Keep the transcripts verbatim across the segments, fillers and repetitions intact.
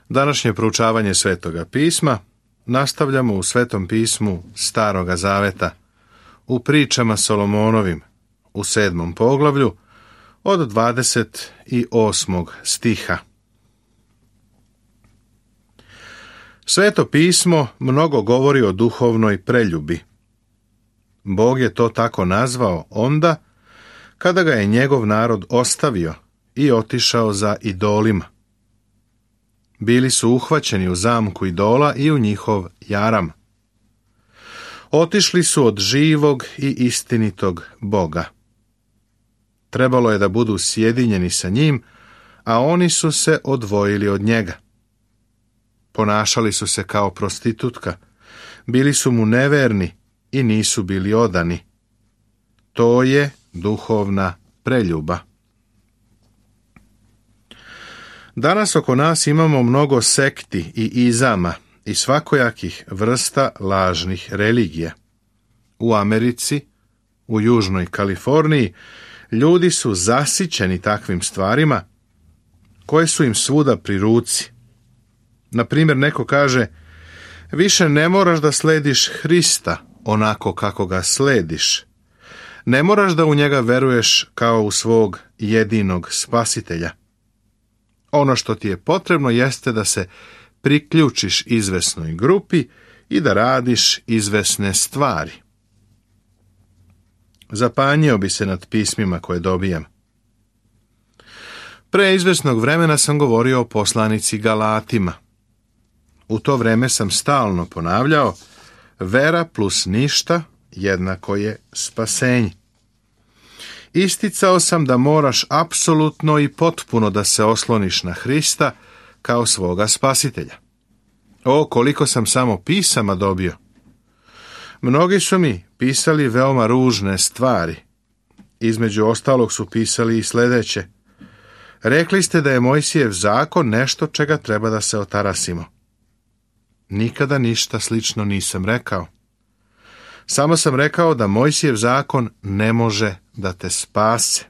Današnje proučavanje Svetoga pisma nastavljamo u Svetom pismu Staroga zaveta, u pričama Solomonovim, u sedmom poglavlju, od dvadeset osmog stiha. Sveto pismo mnogo govori o duhovnoj preljubi. Bog je to tako nazvao onda kada ga je njegov narod ostavio i otišao za idolima. Bili su uhvaćeni u zamku idola i u njihov jaram. Otišli su od živog i istinitog Boga. Trebalo je da budu sjedinjeni sa njim, a oni su se odvojili od njega. Ponašali su se kao prostitutka, bili su mu neverni i nisu bili odani. To je duhovna preljuba. Danas oko nas imamo mnogo sekti i izama i svakojakih vrsta lažnih religija. U Americi, u Južnoj Kaliforniji, ljudi su zasićeni takvim stvarima koje su im svuda pri ruci. Na primjer, neko kaže, više ne moraš da slediš Hrista onako kako ga slediš. Ne moraš da u njega veruješ kao u svog jedinog spasitelja. Ono što ti je potrebno jeste da se priključiš izvesnoj grupi i da radiš izvesne stvari. Zapanjio bi se nad pismima koje dobijam. Pre izvesnog vremena sam govorio o poslanici Galatima. U to vreme sam stalno ponavljao, vera plus ništa jednako je spasenje. Isticao sam da moraš apsolutno i potpuno da se osloniš na Hrista kao svoga spasitelja. O, koliko sam samo pisama dobio. Mnogi su mi pisali veoma ružne stvari. Između ostalog su pisali i sljedeće. Rekli ste da je Mojsijev zakon nešto čega treba da se otarasimo. Nikada ništa slično nisam rekao. Samo sam rekao da Mojsijev zakon ne može da te spase.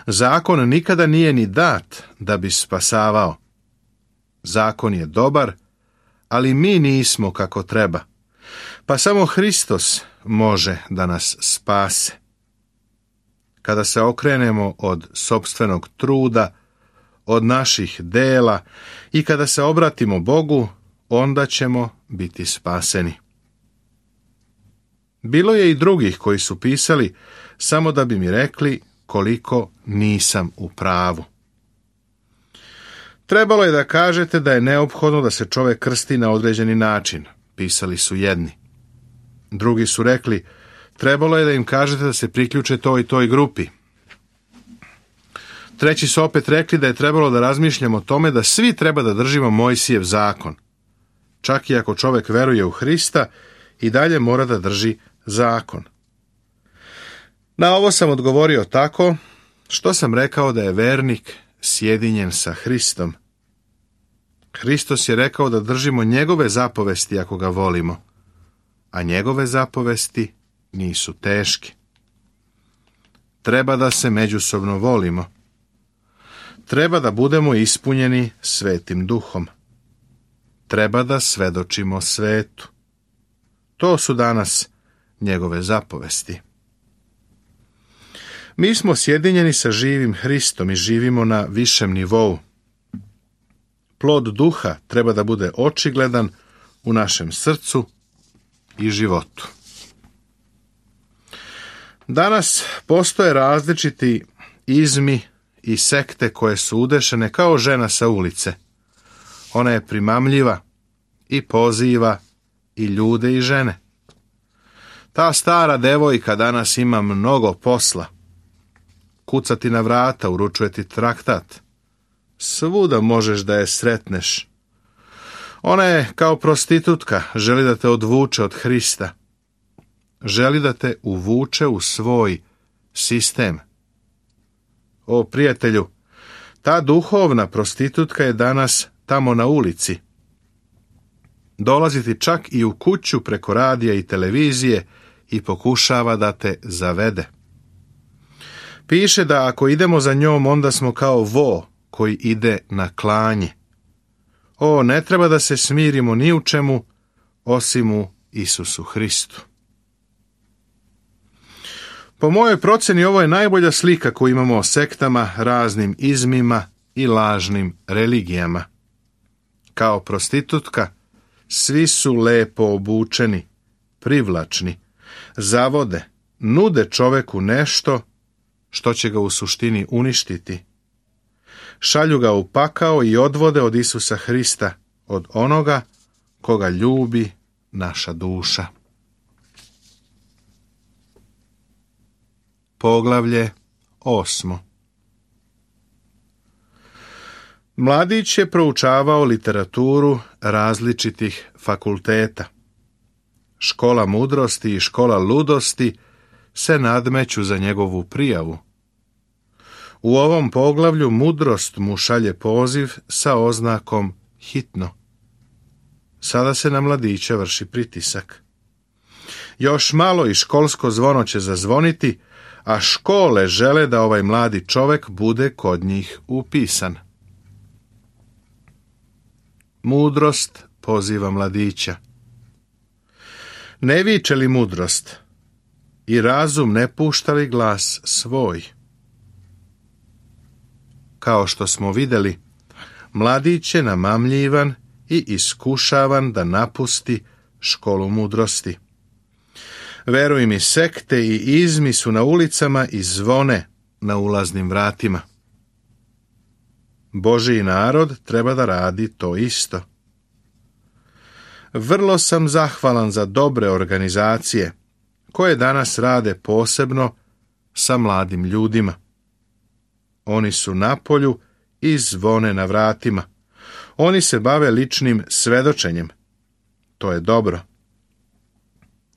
Zakon nikada nije ni dat da bi spasavao. Zakon je dobar, ali mi nismo kako treba. Pa samo Hristos može da nas spase. Kada se okrenemo od sopstvenog truda, od naših dela i kada se obratimo Bogu, onda ćemo biti spaseni. Bilo je i drugih koji su pisali samo da bi mi rekli koliko nisam u pravu. Trebalo je da kažete da je neophodno da se čovjek krsti na određeni način, pisali su jedni. Drugi su rekli, trebalo je da im kažete da se priključe toj i toj grupi. Treći su opet rekli da je trebalo da razmišljamo o tome da svi treba da držimo Mojsijev zakon. Čak i ako čovjek veruje u Hrista, i dalje mora da drži zakon. Na ovo sam odgovorio tako što sam rekao da je vernik sjedinjen sa Hristom. Hristos je rekao da držimo njegove zapovesti ako ga volimo, a njegove zapovesti nisu teške. Treba da se međusobno volimo. Treba da budemo ispunjeni Svetim Duhom. Treba da svedočimo svetu. To su danas njegove zapovesti. Mi smo sjedinjeni sa živim Hristom i živimo na višem nivou. Plod duha treba da bude očigledan u našem srcu i životu. Danas postoje različiti izmi i sekte koje su udešene kao žena sa ulice. Ona je primamljiva i poziva i ljude i žene. Ta stara devojka danas ima mnogo posla. Kuca ti na vrata, uručuje ti traktat. Svuda možeš da je sretneš. Ona je kao prostitutka, želi da te odvuče od Hrista. Želi da te uvuče u svoj sistem. O prijatelju, ta duhovna prostitutka je danas tamo na ulici. Dolazi ti čak i u kuću preko radija i televizije i pokušava da te zavede. Piše da ako idemo za njom, onda smo kao vo koji ide na klanje. O, ne treba da se smirimo ni u čemu, osim u Isusu Hristu. Po mojoj proceni ovo je najbolja slika koju imamo o sektama, raznim izmima i lažnim religijama. Kao prostitutka, svi su lepo obučeni, privlačni, zavode, nude čoveku nešto što će ga u suštini uništiti. Šalju ga u pakao i odvode od Isusa Hrista, od onoga koga ljubi naša duša. Poglavlje osmo. Mladić je proučavao literaturu različitih fakulteta. Škola mudrosti i škola ludosti se nadmeću za njegovu prijavu. U ovom poglavlju mudrost mu šalje poziv sa oznakom hitno. Sada se na mladića vrši pritisak. Još malo i školsko zvono će zazvoniti, a škole žele da ovaj mladi čovek bude kod njih upisan. Mudrost poziva mladića. Ne viče li mudrost i razum ne pušta li glas svoj? Kao što smo vidjeli, mladić je namamljivan i iskušavan da napusti školu mudrosti. Veruj mi, sekte i izmi su na ulicama i zvone na ulaznim vratima. Božji narod treba da radi to isto. Vrlo sam zahvalan za dobre organizacije koje danas rade posebno sa mladim ljudima. Oni su na polju i zvone na vratima. Oni se bave ličnim svedočenjem. To je dobro.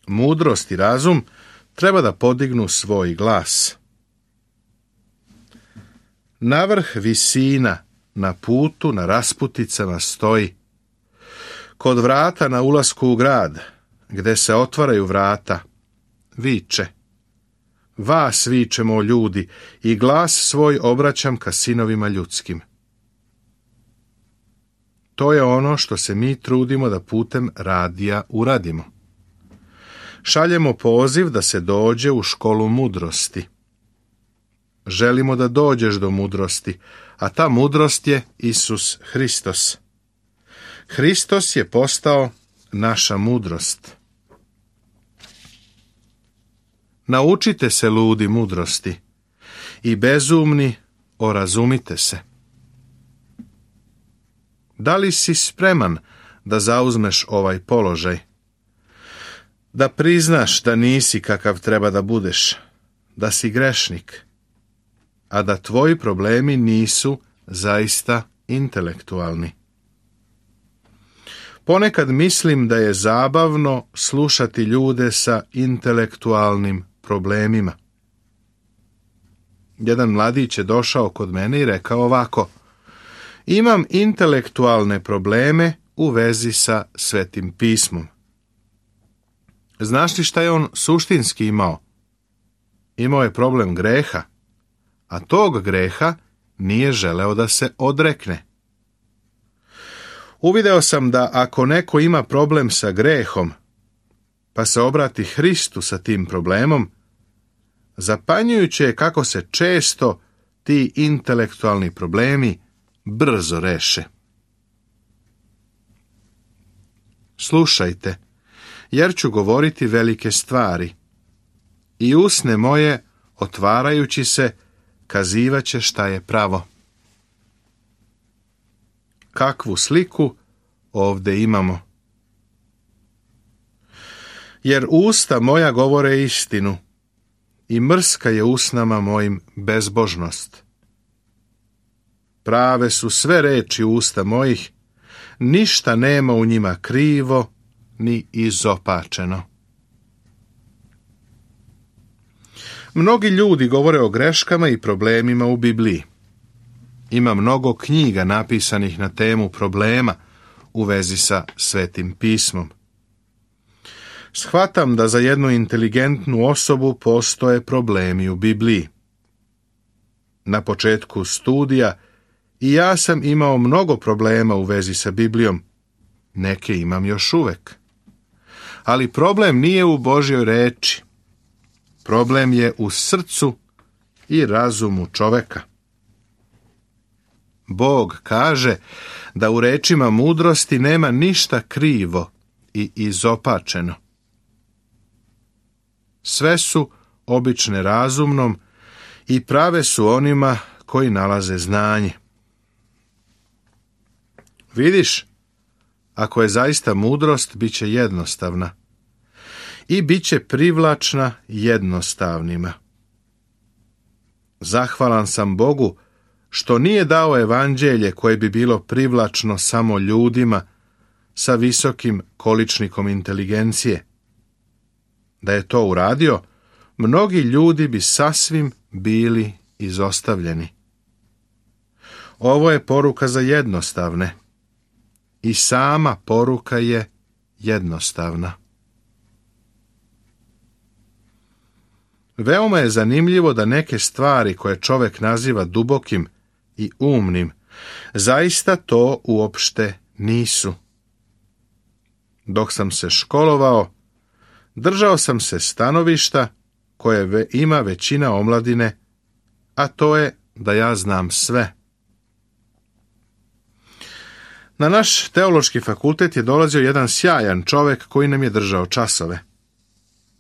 Mudrost i razum treba da podignu svoj glas. Na vrh visina, na putu, na rasputicama stoji. Kod vrata na ulasku u grad, gde se otvaraju vrata, viče. Vas vičemo, ljudi, i glas svoj obraćam ka sinovima ljudskim. To je ono što se mi trudimo da putem radija uradimo. Šaljemo poziv da se dođe u školu mudrosti. Želimo da dođeš do mudrosti, a ta mudrost je Isus Hristos. Hristos je postao naša mudrost. Naučite se, ludi, mudrosti i bezumni, orazumite se. Da li si spreman da zauzmeš ovaj položaj? Da priznaš da nisi kakav treba da budeš, da si grešnik, a da tvoji problemi nisu zaista intelektualni. Ponekad mislim da je zabavno slušati ljude sa intelektualnim problemima. Jedan mladić je došao kod mene i rekao ovako: imam intelektualne probleme u vezi sa Svetim pismom. Znaš li šta je on suštinski imao? Imao je problem greha, a tog greha nije želeo da se odrekne. Uvideo sam da ako neko ima problem sa grehom, pa se obrati Hristu sa tim problemom, zapanjujuće je kako se često ti intelektualni problemi brzo reše. Slušajte, jer ću govoriti velike stvari, i usne moje, otvarajući se, kazivaće šta je pravo. Kakvu sliku ovdje imamo? Jer usta moja govore istinu, i mrska je usnama mojim bezbožnost. Prave su sve reči usta mojih, ništa nema u njima krivo ni izopačeno. Mnogi ljudi govore o greškama i problemima u Bibliji. Ima mnogo knjiga napisanih na temu problema u vezi sa Svetim pismom. Shvatam da za jednu inteligentnu osobu postoje problemi u Bibliji. Na početku studija I ja sam imao mnogo problema u vezi sa Biblijom. Neke imam još uvek. Ali problem nije u Božjoj reči. Problem je u srcu i razumu čoveka. Bog kaže da u rečima mudrosti nema ništa krivo i izopačeno. Sve su obične razumnom i prave su onima koji nalaze znanje. Vidiš, ako je zaista mudrost, bit će jednostavna i bit će privlačna jednostavnima. Zahvalan sam Bogu što nije dao evanđelje koje bi bilo privlačno samo ljudima sa visokim količnikom inteligencije. Da je to uradio, mnogi ljudi bi sasvim bili izostavljeni. Ovo je poruka za jednostavne. I sama poruka je jednostavna. Veoma je zanimljivo da neke stvari koje čovjek naziva dubokim i umnim, zaista to uopšte nisu. Dok sam se školovao, držao sam se stanovišta koje ima većina omladine, a to je da ja znam sve. Na naš teološki fakultet je dolazio jedan sjajan čovjek koji nam je držao časove.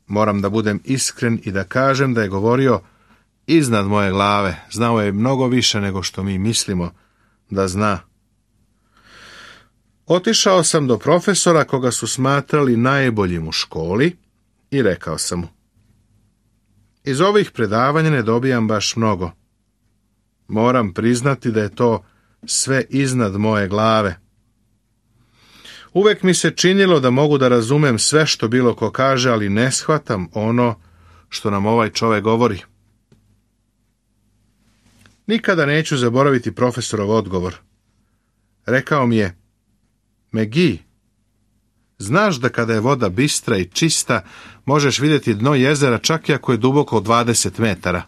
Moram da budem iskren i da kažem da je govorio iznad moje glave. Znao je mnogo više nego što mi mislimo da zna. Otišao sam do profesora koga su smatrali najboljim u školi i rekao sam mu: iz ovih predavanja ne dobijam baš mnogo. Moram priznati da je to sve iznad moje glave. Uvek mi se činilo da mogu da razumem sve što bilo ko kaže, ali ne shvatam ono što nam ovaj čovjek govori. Nikada neću zaboraviti profesorov odgovor. Rekao mi je: Megi, znaš da kada je voda bistra i čista, možeš vidjeti dno jezera čak i ako je duboko dvadeset metara.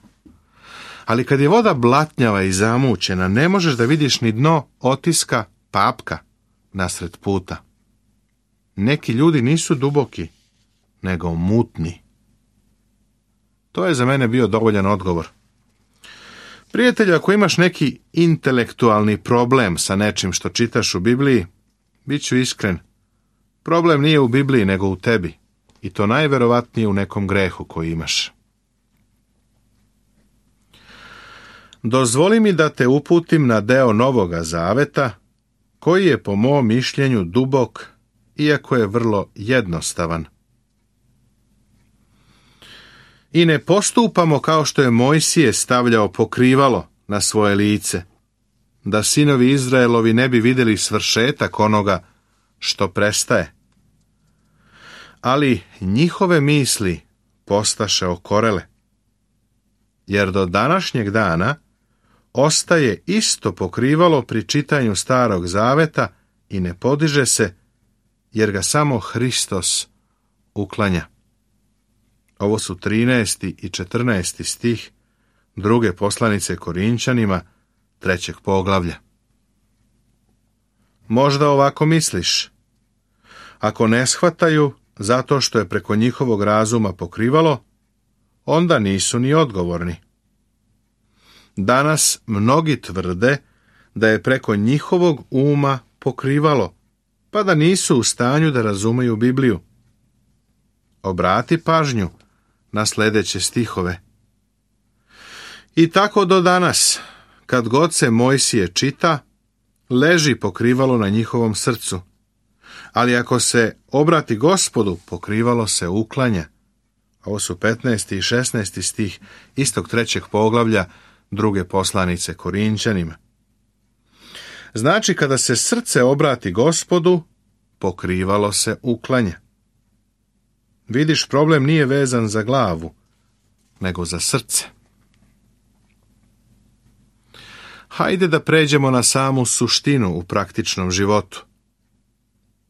Ali kad je voda blatnjava i zamućena, ne možeš da vidiš ni dno otiska papka nasred puta. Neki ljudi nisu duboki, nego mutni. To je za mene bio dovoljan odgovor. Prijatelju, ako imaš neki intelektualni problem sa nečim što čitaš u Bibliji, bit ću iskren, problem nije u Bibliji nego u tebi, i to najverovatnije u nekom grehu koji imaš. Dozvoli mi da te uputim na deo Novoga Zaveta, koji je po mom mišljenju dubok, iako je vrlo jednostavan. I ne postupamo kao što je Mojsije stavljao pokrivalo na svoje lice, da sinovi Izraelovi ne bi vidjeli svršetak onoga što prestaje. Ali njihove misli postaše okorele, jer do današnjeg dana ostaje isto pokrivalo pri čitanju Starog Zaveta i ne podiže se, jer ga samo Hristos uklanja. Ovo su trinaesti i četrnaesti stih druge poslanice Korinčanima, trećeg poglavlja. Možda ovako misliš: ako ne shvataju zato što je preko njihovog razuma pokrivalo, onda nisu ni odgovorni. Danas mnogi tvrde da je preko njihovog uma pokrivalo, pa da nisu u stanju da razumeju Bibliju. Obrati pažnju na sljedeće stihove. I tako do danas, kad god se Mojsije čita, leži pokrivalo na njihovom srcu. Ali ako se obrati Gospodu, pokrivalo se uklanja. Ovo su petnaesti i šesnaesti stih istog trećeg poglavlja druge poslanice Korinčanima. Znači, kada se srce obrati Gospodu, pokrivalo se uklanja. Vidiš, problem nije vezan za glavu, nego za srce. Hajde da pređemo na samu suštinu u praktičnom životu.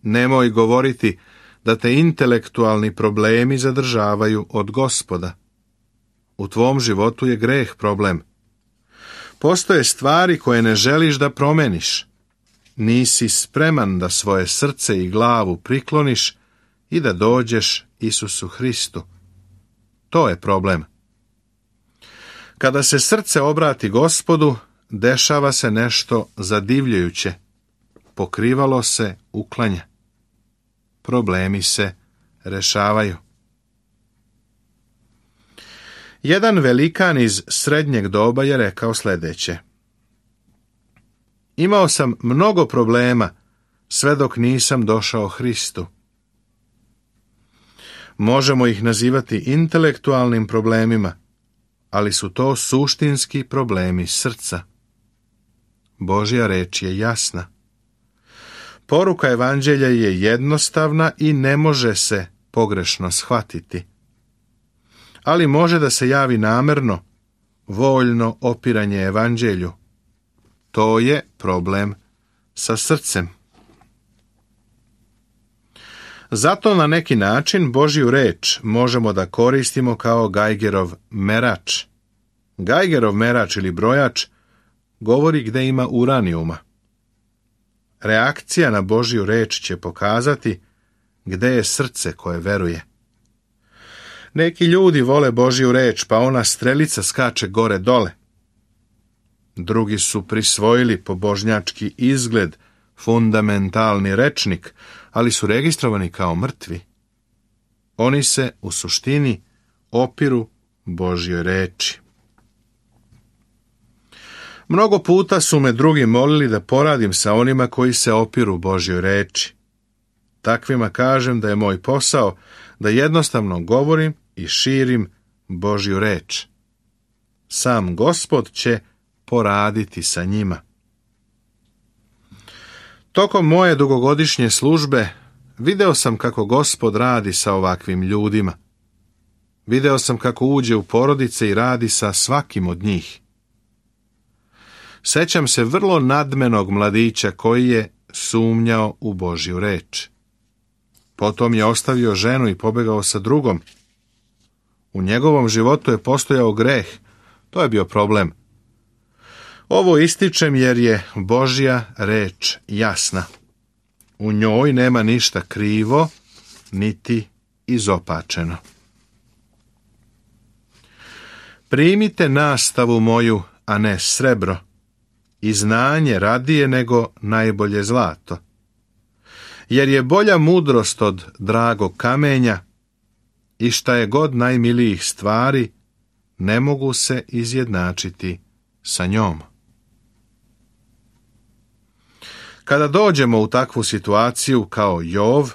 Nemoj govoriti da te intelektualni problemi zadržavaju od Gospoda. U tvom životu je greh problem. Postoje stvari koje ne želiš da promeniš. Nisi spreman da svoje srce i glavu prikloniš i da dođeš Isusu Hristu. To je problem. Kada se srce obrati Gospodu, dešava se nešto zadivljujuće. Pokrivalo se uklanja. Problemi se rešavaju. Jedan velikan iz srednjeg doba je rekao sljedeće: imao sam mnogo problema sve dok nisam došao Hristu. Možemo ih nazivati intelektualnim problemima, ali su to suštinski problemi srca. Božja reč je jasna. Poruka evanđelja je jednostavna i ne može se pogrešno shvatiti. Ali može da se javi namerno, voljno opiranje evanđelju. To je problem sa srcem. Zato na neki način Božju reč možemo da koristimo kao Geigerov merač. Geigerov merač ili brojač govori gde ima uranijuma. Reakcija na Božju reč će pokazati gde je srce koje veruje. Neki ljudi vole Božju reč, pa ona strelica skače gore dole. Drugi su prisvojili pobožnjački izgled, fundamentalni rečnik, ali su registrovani kao mrtvi. Oni se u suštini opiru Božjoj reči. Mnogo puta su me drugi molili da poradim sa onima koji se opiru Božjoj reči. Takvima kažem da je moj posao da jednostavno govorim i širim Božju reč. Sam Gospod će poraditi sa njima. Tokom moje dugogodišnje službe video sam kako Gospod radi sa ovakvim ljudima. Video sam kako uđe u porodice i radi sa svakim od njih. Sećam se vrlo nadmenog mladića koji je sumnjao u Božju reč. Potom je ostavio ženu i pobegao sa drugom. U njegovom životu je postojao greh. To je bio problem. Ovo ističem jer je Božja reč jasna. U njoj nema ništa krivo, niti izopačeno. Primite nastavu moju, a ne srebro, i znanje radije nego najbolje zlato. Jer je bolja mudrost od dragog kamenja i šta je god najmilijih stvari, ne mogu se izjednačiti sa njom. Kada dođemo u takvu situaciju kao Jov,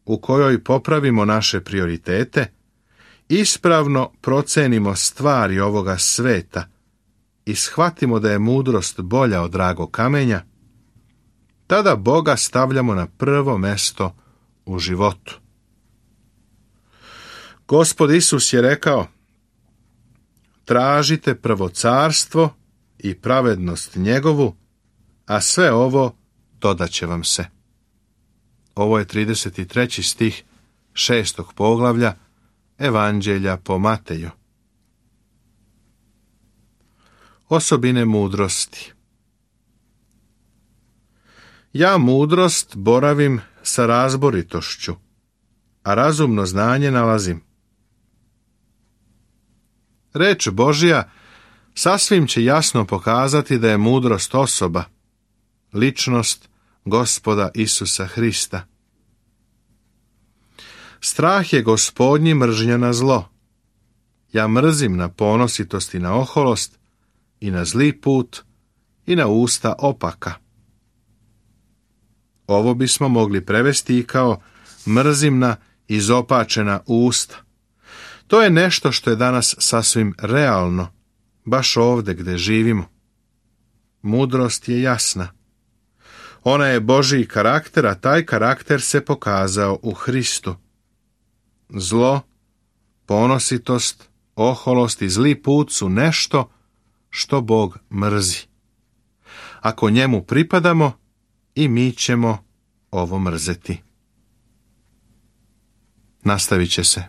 u kojoj popravimo naše prioritete, ispravno procenimo stvari ovoga sveta i shvatimo da je mudrost bolja od dragog kamenja, tada Boga stavljamo na prvo mesto u životu. Gospod Isus je rekao: tražite prvo carstvo i pravednost njegovu, a sve ovo dodat će vam se. Ovo je trideset treći stih šestog poglavlja Evanđelja po Mateju. Osobine mudrosti. Ja mudrost boravim sa razboritošću, a razumno znanje nalazim. Reč Božja sasvim će jasno pokazati da je mudrost osoba, ličnost Gospoda Isusa Hrista. Strah je Gospodnji mržnja na zlo. Ja mrzim na ponositost i na oholost, i na zli put, i na usta opaka. Ovo bismo mogli prevesti i kao mrzim na izopačena usta. To je nešto što je danas sasvim realno, baš ovdje gdje živimo. Mudrost je jasna. Ona je Božji karakter, a taj karakter se pokazao u Hristu. Zlo, ponositost, oholost i zli put su nešto što Bog mrzi. Ako njemu pripadamo, i mi ćemo ovo mrzeti. Nastavit će se.